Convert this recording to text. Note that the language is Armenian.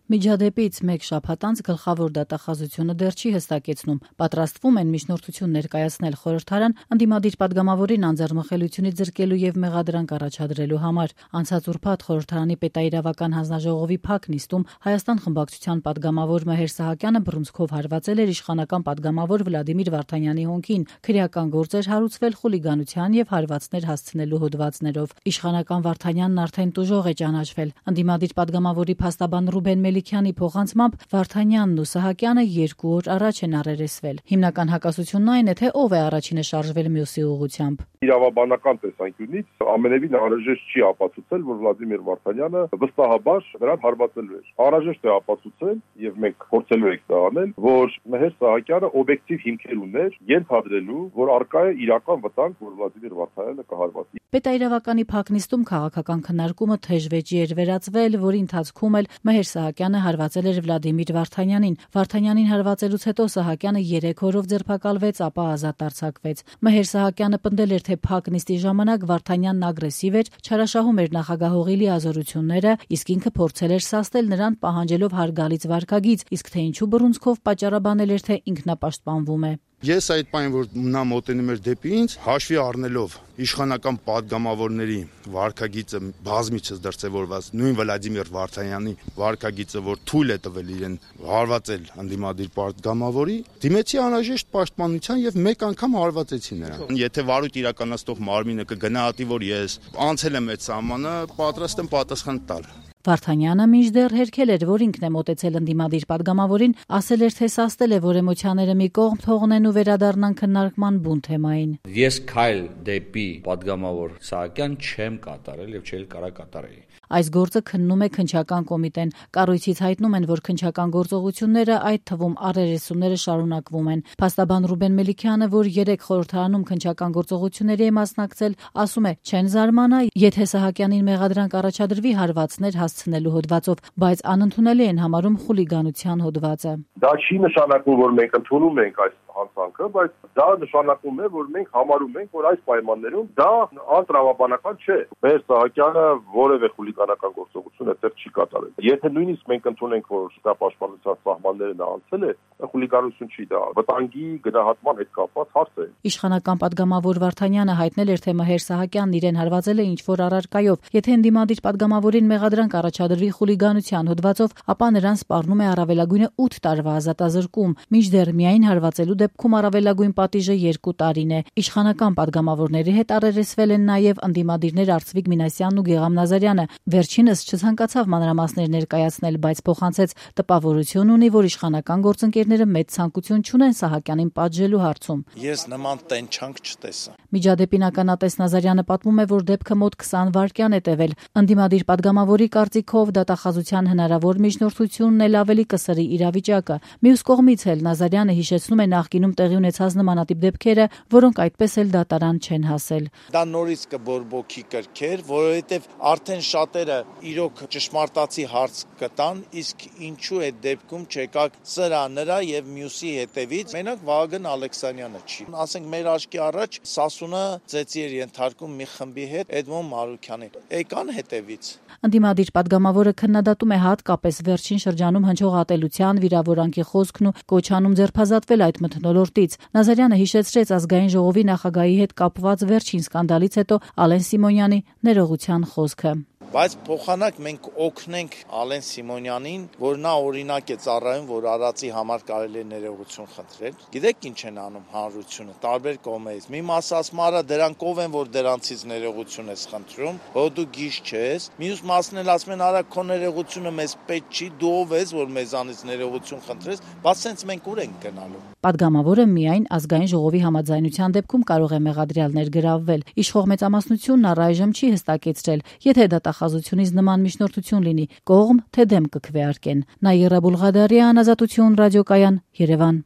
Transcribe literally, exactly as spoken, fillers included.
Միջադեպից մեկ շաբաթ անց գլխավոր դատախազությունը դեռ չի հստակեցնում, պատրաստվում են միջնորդություն ներկայացնել խորհրդարան ընդդիմադիր պատգամավորին անձեռնմխելիությունից զրկելու եւ մեղադրանք առաջադրելու համար։ Անցած ուրբաթ խորհրդարանի պետաիրավական հանձնաժողովի փակ նիստում Հայաստան խմբակցության պատգամավոր Մհեր Սահակյանը բռունցքով հարվածել էր իշխանական պատգամավոր Վլադիմիր Վարդանյանի հոնքին, քրեական գործ էր հարուցվել խուլիգանության եւ հարվածներ հասցնելու հոդվածներով։ Իշխանական Վարդանյանն արդեն տուժող է ճանաչվել։ Ընդդիմադիր պատգամավորի փաստաբան Ռուբեն Մելիքյանի փոխանցմամբ Վարդանյանն ու Սահակյանը երկու օր առաջ են առերեսվել։ Հիմնական հակասությունն այն է, թե ով է առաջինը շարժվել մյուսի ուղղությամբ։ Իրավաբանական տեսանկյունից ամենևին անհրաժեշտ չի ապացուցել, որ Վլադիմիր Վարդանյանը վստահաբար նրան հարվածելու էր։ Անհրաժեշտ է ապացուցել, եւ մենք փորձելու ենք դա անել, որ Մհեր Սահակյանը օբյեկտիվ հիմքեր ուներ ենթադրելու, որ արկա է իրական վտանգ, որ Վլադիմիր Վարդանյանը կհարվածի։ Պետաիրավականի փակ նիստում քաղաքական քննարկումը թեժ վեճի էր վերածվել, որի ընթացքում էլ Մհեր Սահակյանը հարվածել էր Վլադիմիր Վարդանյանին։ Վարդանյանին հարվածելուց հետո Սահակյանը երեք օրով ձերբակալվեց, ապա ազատ արձակվեց։ Մհեր Սահակյանը պնդել էր, թե փակ նիստի ժամանակ Վարդանյանն ագրեսիվ էր, չարաշահում էր նախագահողի լիազորությունները, իսկ ինքը փորձել էր սաստել նրան պահանջելով հարգալից վարքագիծ, իսկ թե ինչու բռունցքով պատճառաբանել էր, թե ինքնապաշտպանվում է։ Ես այդ պայն, որ նա մոտենում էր դեպի ինձ, հաշվի առնելով իշխանական պատգամավորների վարքագիծը բազմիցս դրսևորված, նույն Վլադիմիր Վարդանյանի վարքագիծը, որ թույլ է տվել իրեն հարվածել ընդդիմադիր պատգամավորի, դիմեցի անհրաժեշտ պաշտպանության եւ մեկ անգամ հարվածեցի նրան։ Եթե վարույթ իրականացնող մարմինը կգնահատի, որ ես անցել եմ այդ սահմանը, պատրաստ եմ պատասխան տալ։ Վարդանյանը մինչդեռ հերքել էր, որ ինքն է մոտեցել ընդդիմադիր պատգամավորին, ասել էր, թե սաստել է, որ էմոցիաները մի կողմ թողնեն ու վերադառնան քննարկման բուն թեմային։ Ես քայլ դեպի պատգամավոր Սահակյան չեմ կատարել եւ չէի կարող կատարել։ Այս գործը քննում է քննչական կոմիտեն։ Կառույցից հայտնում են, որ քննչական գործողությունները, այդ թվում առերեսումները շարունակվում են։ Փաստաբան Ռուբեն Մելիքյանը, որ երեք խորհրդարանում քննչական գործողությունների է մասնակցել, ասում է, չեն զարմանա, եթե Սահակյանին մեղադրանք առաջադրվի հարվածներ հասցնելու հոդվածով, բայց անընդունելի են համարում խուլիգանության հոդվածը։ Դա չի նշանակում, որ մենք ընդունում ենք այս հանցանքը, բայց դա նշանակում է, որ մենք համարում ենք, որ այս պայմաններում դա անտրամաբանական չէ։ Մհեր Սահակյանը որևէ խուլիգանական գործողություն այդտեղ չի կատարել։ Եթե նույնիսկ մենք ընդունենք, որ դա պաշտպանության սահմանները նա անցել է, խուլիգանություն չի, դա վտանգի գնահատման հետ կապված հարց է։ Իշխանական պատգամավոր Վարդանյանը հայտնել էր, թե Մհեր Սահակյանն իրեն հարվածել է ինչ-որ առարկայով։ Եթե ընդդիմադիր պատգամավորին մեղադրանք առաջադրվի խուլիգանության հոդվածով, ապա նրան սպառնում է առավելագույնը ութ տարվա ազատազրկում, մինչդեռ միայն հարվածելու դեպքում առավելագույն պատիժը երկու տարին է։ Իշխանական պատգամավորների հետ առերեսվել են նաև ընդդիմադիրներ Արծվիկ Մինասյանն ու Գեգամ Նազարյանը։ Վերջինս չցանկացավ մանրամասներ ներկայացնել, բայց փոխանցեց տպավորություն ունի, որ իշխանական գործընկերները մեծ ցանկություն չունեն Սահակյանին պատժելու հարցում։ Ես նման տենչանք չտեսա։ Միջադեպին ականատես Նազարյանը պատմում է, որ դեպքը մոտ քսան վայրկյան է տևել։ Ընդդիմադիր պատգամավորի կարծիքով դատախազության հնարավոր միջնորդությունն էլ ավելի կսրի իրավիճակը։ Մյուս կողմից էլ Նազարյանը հիշեցնում է նախկինում տեղի ունեցած նմանատիպ դեպքերը, որոնք այդպես էլ դատարան չեն հասել։ Դա նորից կբորբոքի կրքեր, որովհետև արդեն շատերը իրոք ճշմարտացի հարց կտան, իսկ ինչու այդ դեպքում չեկակ սրա նրա եւ մյուսի հետևից, մենակ Վահագն Ալեքսանյանը չի։ Ասենք մեր աչքի առաջ Սասունը ծեծի էր ենթարկում մի խմբի հետ Էդմոն Մարուքյանին։ Եկան հետևից։ Ընդդիմադիր պատգամավորը քննադատում է հատկապես վերջին շրջանում հնչող ատելության, վիրավորանքի խոսքն ու կոչանում ձերբազատվել այդ մթնոլորտից։ Նազարյանը հիշեցրեց ազգային ժողովի նախագահի հետ կապված վերջին սկանդալից հետո Ալեն Սիմոնյանի ներողության խոսքը։ Բայց փոխանակ մենք օգնենք Ալեն Սիմոնյանին, որ նա օրինակ է ծառայում, որ արածի համար կարելի է ներողություն խնդրել։ Գիտեք ինչ են անում հանրությունը, տարբեր կողմերից։ Մի մասը ասում արա դրանք ով են, որ դրանցից ներողություն ես խնդրում, որ դու գիժ չես։ Մյուս մասն էլ ասում են արա քո ներողությունը մեզ պետք չի, դու ով ես, որ մեզանից ներողություն խնդրես, բայց սենց մենք ուր ենք գնալու։ Պատգամավորը միայն ազգային ժողովի համաձայնության դեպքում կարող է մեղադրյալ ներգրավվել։ Իշխող մեծամասնությունն առայժմ չի հստակեցրել, եթե դատախազությունից նման միջնորդություն լինի, կողմ թե դեմ կքվեարկեն։ Նաիրա Բուլղադարյան, Ազատություն ռադիոկայան, Երևան։